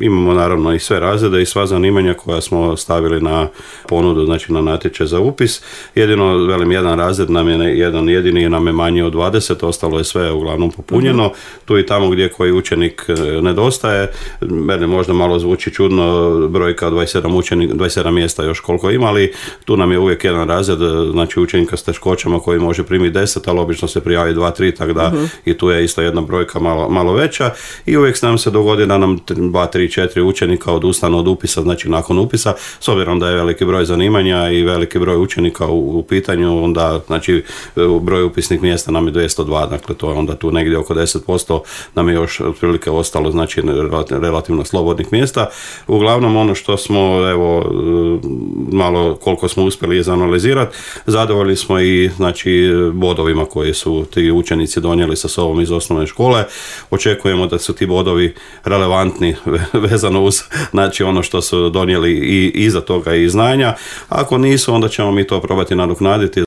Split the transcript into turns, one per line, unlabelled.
Imamo naravno i sve razrede i sva zanimanja koja smo stavili na ponudu, znači na natječaj za upis. Jedino, velim, jedan razred nam je, jedan jedini nam je manji od 20, ostalo je sve uglavnom popunjeno. Tu i tamo gdje koji učenik nedostaje, meni možda malo zvuči čudno, brojka 27 mjesta još koliko ima, ali tu nam je uvijek jedan razred, znači učenika s teškoćama koji može primiti 10, ali obično se prijavi 2-3, tako da i tu je isto jedna brojka malo veća i uvijek nam se dogodi da nam 2-3-4 učenika odustanu od upisa, znači nakon upisa, s obzirom da je veliki broj zanimanja i veliki broj učenika u pitanju, onda znači broj upisnih mjesta nam je 202, dakle to je onda tu negdje oko 10% nam je još otprilike ostalo, znači relativno slobodnih mjesta. Uglavnom ono što smo, evo, malo koliko smo uspjeli izanalizirati, zadovoljni smo i znači bodovima koji su ti učenici donijeli sa sobom iz osnovne škole. Očekujemo da su ti bodovi relevantni vezano uz znači ono što su donijeli i iza toga i znanja. Ako nisu, onda ćemo mi to probati nadoknaditi.